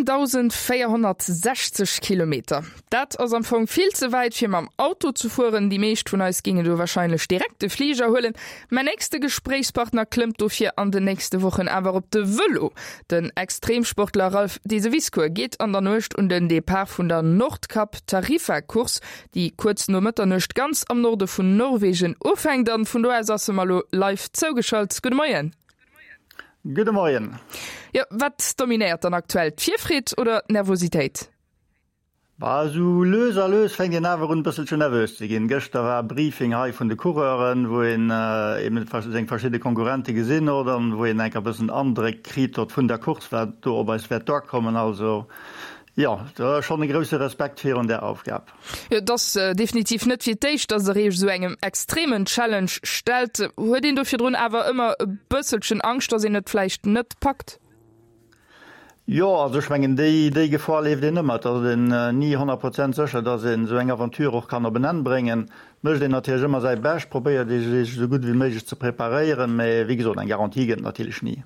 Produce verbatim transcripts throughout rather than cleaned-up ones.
Siwendausendvéierhonnertsechzeg Kilometer, dat ass am Fong vill ze wäit fir mam Auto ze fueren. Déi meescht vun eis géingen do warscheinlech direkt de Fliger huelen. Mäin nächste Gespréichspartner klëmmt dofir an den nächste Wochen awer op de Vëlo. Den Extremsportler Ralph Diseviscourt geet an der Nuecht un den Depart vun der Nordkap-Tarifa-Course, déi kuerz no Mëtternuecht ganz am Norde vun Norwegen ufänkt. An vun do aus ass e mer elo live zougeschalt. Gudde Moien. Gudde Moien. Jo, wat dominéiert dann aktuell, d'Virfreed oder d'Nervositéit? Bah, esou lues a lues fänkt een awer un e bësselchen nervös ze ginn. Gëschter war Briefing hei vun de Coureuren, wou een eben seng verschidde Konkurrente gesinn huet an wou een enk e bëssen Andréck kritt huet vun der Course, wat do op eis wäert duerkommen. Also jo, do ass schonn e grousse Respekt virun där Aufgab. Jo, et ass definitiv net fir d'éischt, dass Der Iech esou engem extremen Challenge stellt. Huet een do virdrun awer ëmmer e bësselchen Angscht, dass een et vläicht net packt? Jo, also ech mengen, déi, déi Gefor leeft een ëmmer. Et ass een ni honnert Prozent sécher, datt een esou eng Aventure och kann op en Enn bréngen. Et mécht een natierlech ëmmer säi Bescht, probéiert ee sech esou gutt wéi méiglech ze preparéieren, mä wéi gesot, eng Garantie gëtt et natierlech ni.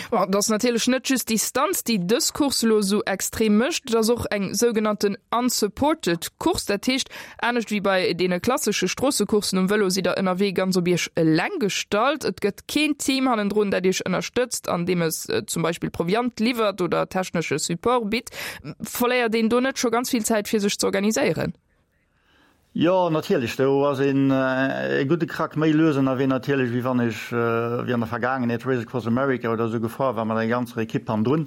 Bon, et ass natierlech net just d'Distanz, déi dës Course elo esou extrem mécht. Et ass och eng sougenannten unsupported Course. Dat heescht, anescht wéi bei deene klassesche Stroossecourssen um Vëlo sidd der ënnerwee ganz op iech eleng gestallt. Et gëtt keen Team hannendrun, dat iech ënnerstëtzt, andeem es zum Beispill Proviant liwwert oder technesche Support bitt. Verléiert een do net scho ganz vill Zäit, fir sech ze organiséieren? Jo, natierlech, do ass een e gudde Krack méi lues ënnerwee natierlech, wéi wann ech, wéi an der Vergaangenheet, Race Across America oder esou gefuer war mat enger ganzer Ekipp hannendrun.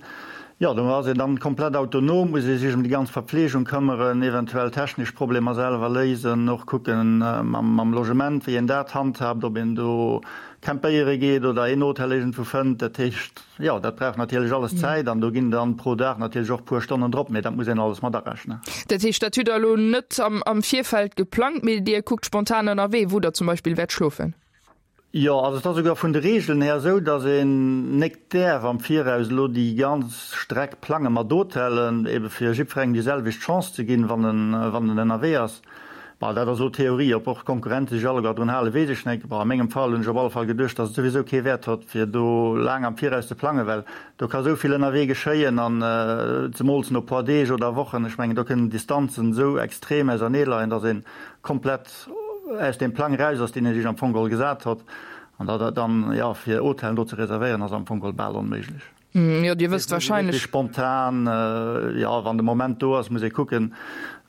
Jo, do ass een dann komplett autonom, muss ee sech ëm déi ganz Verpflegung këmmeren, eventuell technesch Problemer selwer léisen, och kucken mam Logement, wéi een dat handhaabt, ob een do campéiere geet oder een Hotel iergendwou fënnt. Dat heescht, jo, dat brauch natierlech alles Zäit an do ginn dann pro Dag natierlech och puer Stonnen drop, mee dat muss een alles mat arechnen. Dat heescht, dat hutt Der elo net am Virfeld geplangt, mee Dir kuckt spontan ënnerwee, wou Der zum Beispill wäert schlofen? Jo, also et ass esouguer vun de Reegelen här esou, datt een nek däerf am Viraus elo déi ganz Streck plange mat Hotellen, ebe fir jiddwerengem déi selwecht Chance ze ginn, wann en, wann en ënnerwee ass. Bon, dat ass elo Theorie. Ob och d'Konkurrente sech alleguer drun halen, weess ech nek. Bon, a mengem Fall hunn ech op alle Fall geduecht, datt et souwisou kee Wäert hott, fir do laang am Viraus ze plangen, well do ka sou vill ënnerwee geschéien an zemools no puer Deeg oder Wochen, ech mengen, do kënnen d'Distanzen esou extrem ausernee leien, datt ee komplett aus deem Plang eraus ass, deen ee sech am Fong geholl gesat hott. An datt dann, jo, fir Hotellen do ze reservéieren, ass am Fong geholl bal onméiglech. Jo, Dir wësst wahrscheinlech. Spontan, jo, wann de Moment do ass, muss ee kucken,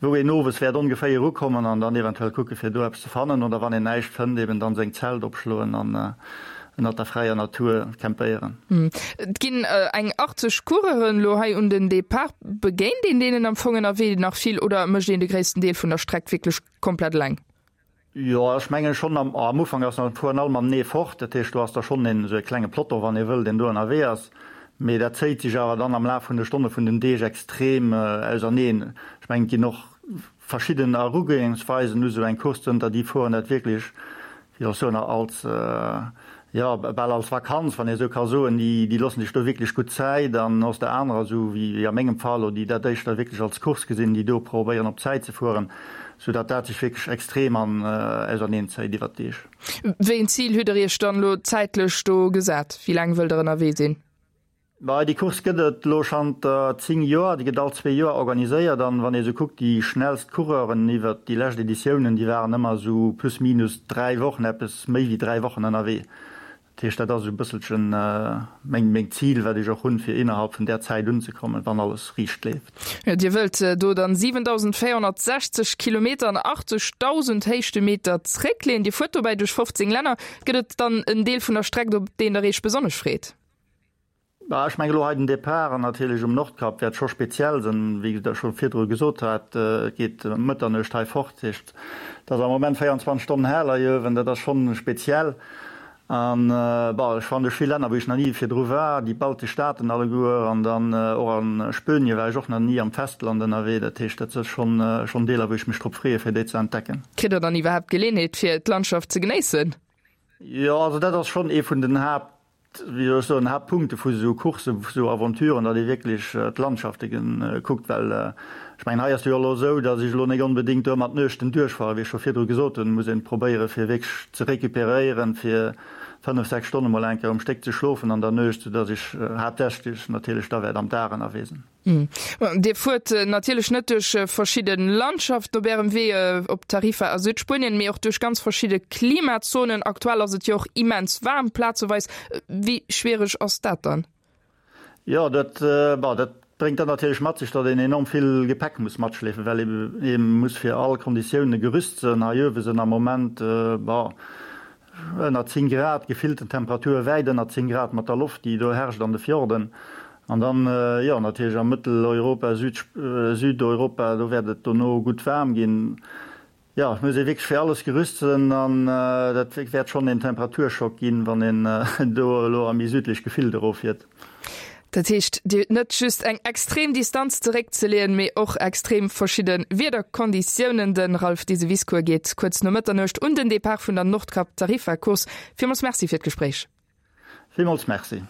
wou een owes wäert ongeféier ukommen an dann eventuell kucke fir do eppes ze fannen oder wann een näischt fënnt, eben dann seng Zelt opschloen an ënnert der fräier Natur campéieren. Et ginn eng achtzeg Coureuren elo hei un den Depart. Begéint een deenen am Fong ënnerwee nach vill oder mécht een de gréissten Deel vun der Streck wierklech komplett eleng? Jo, ech mengen schonn am am Ufank ass nach fueren all matenee fort, dat heescht do ass da schonn een esou e klenge Peloton, wann ee wëll, deen do ënnerwee ass. Mee dat zéit sech awer dann am Laf vun de Stonne vun den Deeg extrem auserneen. Ech mengen et ginn och verschidden Erugoengsweisen u sou eng Course, zënter déi fueren dat wierklech, wéi soll ech soen, als jo, bal als Vakanz, wann ee esou ka soen, déi, déi loossen sech do wierklech gutt Zäit an aus der anerer, esou wéi a mengem Fall, oder déi dat éischter wierklech als Course gesinn, déi do probéieren op Zäit ze fueren, soudatt dat sech wierklech extrem an auserneen zéit iwwert d'Deeg. Wéi een Zil hutt Der Iech dann elo zäitlech do gesat? Wéi laang wëllt Der ënnerwee sinn? Bah, déi Course gëtt et elo schanter zéng Joer. Déi gëtt all zwee Joer organiséiert an wann ee sou kuckt, déi schnellst Coureuren iwwert déi lescht Editiounen, déi waren ëmmer esou plus minus dräi Wochen, eppes méi wéi dräi Wochen ënnerwee. Dat heescht, dat ass esou e bësselchen meng meng Zil, wat ech och hunn, fir innerhalb vun där Zäit unzekommen, wann alles riicht leeft. Jo, Dir wëllt do dann siwendausendvéierhonnertsechzeg Kilometer an achtzegdausend Héichtemeter zréckleeën. Dir fuert dobäi duerch fofzéng Länner. Gëtt et dann en Deel vun der Streck, op deen Der Iech besonnesch freet? Bah, ech mengen elo hei den Depart an natierlech um Nordkap wäert scho speziell sinn, wéi Der scho virdru gesot hat. Et geet ëm Mëtternuecht hei fort, dat heescht, et ass am Moment véierundzwanzeg Stonnen hell hei uewen, dat ass schonn speziell. An, bah, ech fannen duerch vill Länner, wou ech nach ni virdru war, déi baltesch Staaten alleguer an dann och a Spuenie war ech och nach ni am Festland ënnerwee, dat heescht, dat si schonn, schonn Deeler, wou ech mech drop freeë fir déi ze entdecken. Kritt Der dann iwwerhaapt d'Geleeënheet fir d'Landschaft ze genéissen? Jo, also dat ass schonn ee vun den Haapt, wéi soll ech soen, Haaptpunkte vu sou Courssen, vu sou Aventuren, datt ee wierklech d'Landschafte kuckt, well ech mengen, hei ass et jo elo esou, datt ech elo nik onbedéngt do ëmmer d'Nuechten duerchfueren, wéi ech scho virdru gesot hunn, muss een probéiere fir wierklech ze récupéréieren, fir fënnef, sechs Stonne mol eng Kéier um Stéck ze schlofen an der Nuecht, soudass ech haaptsächlech natierlech da wäert am Dag ënnerwee sinn. Dir fuert natierlech net duerch verschidde Landschaften op Ärem Wee op Tarifa a Südspuenien, mee och duerch ganz verschidde Klimazonen. Aktuell ass et jo och immens waarm plazeweis. Wéi schwiereg ass dat dann? Jo, dat, bon, dat bréngt dann natierlech mat sech, datt een enorm vill Gepäck muss matschleefen, well ee muss fir all Konditioune gerüst sinn. Hei uewe sinn am Moment, bon, ënner zéng Grad, gefillten Temperature wäit ënner zéng Grad mat der Loft, déi do herrscht an de Fjorden. An dann, jo, natierlech a Mëtteleuropa, Süd, Südeuropa, do wäert et dono gutt waarm ginn. Jo, et muss ee wierklech fir alles gerüst sinn an dat wäert schonn een Temperaturschock ginn, wann een do elo a méi südlech Gefilde eroffiert. Dat heescht, Dir hutt net just eng extrem Distanz zeréckzeleeën, mee och extrem verschidde Wiederkonditiounen. De Ralph Diseviscourt geet kuerz no Mëtternuecht un den Depart vun der Nordkap-Tarifa-Course. Villmools Merci fir d'Gespréich. Villmools Merci.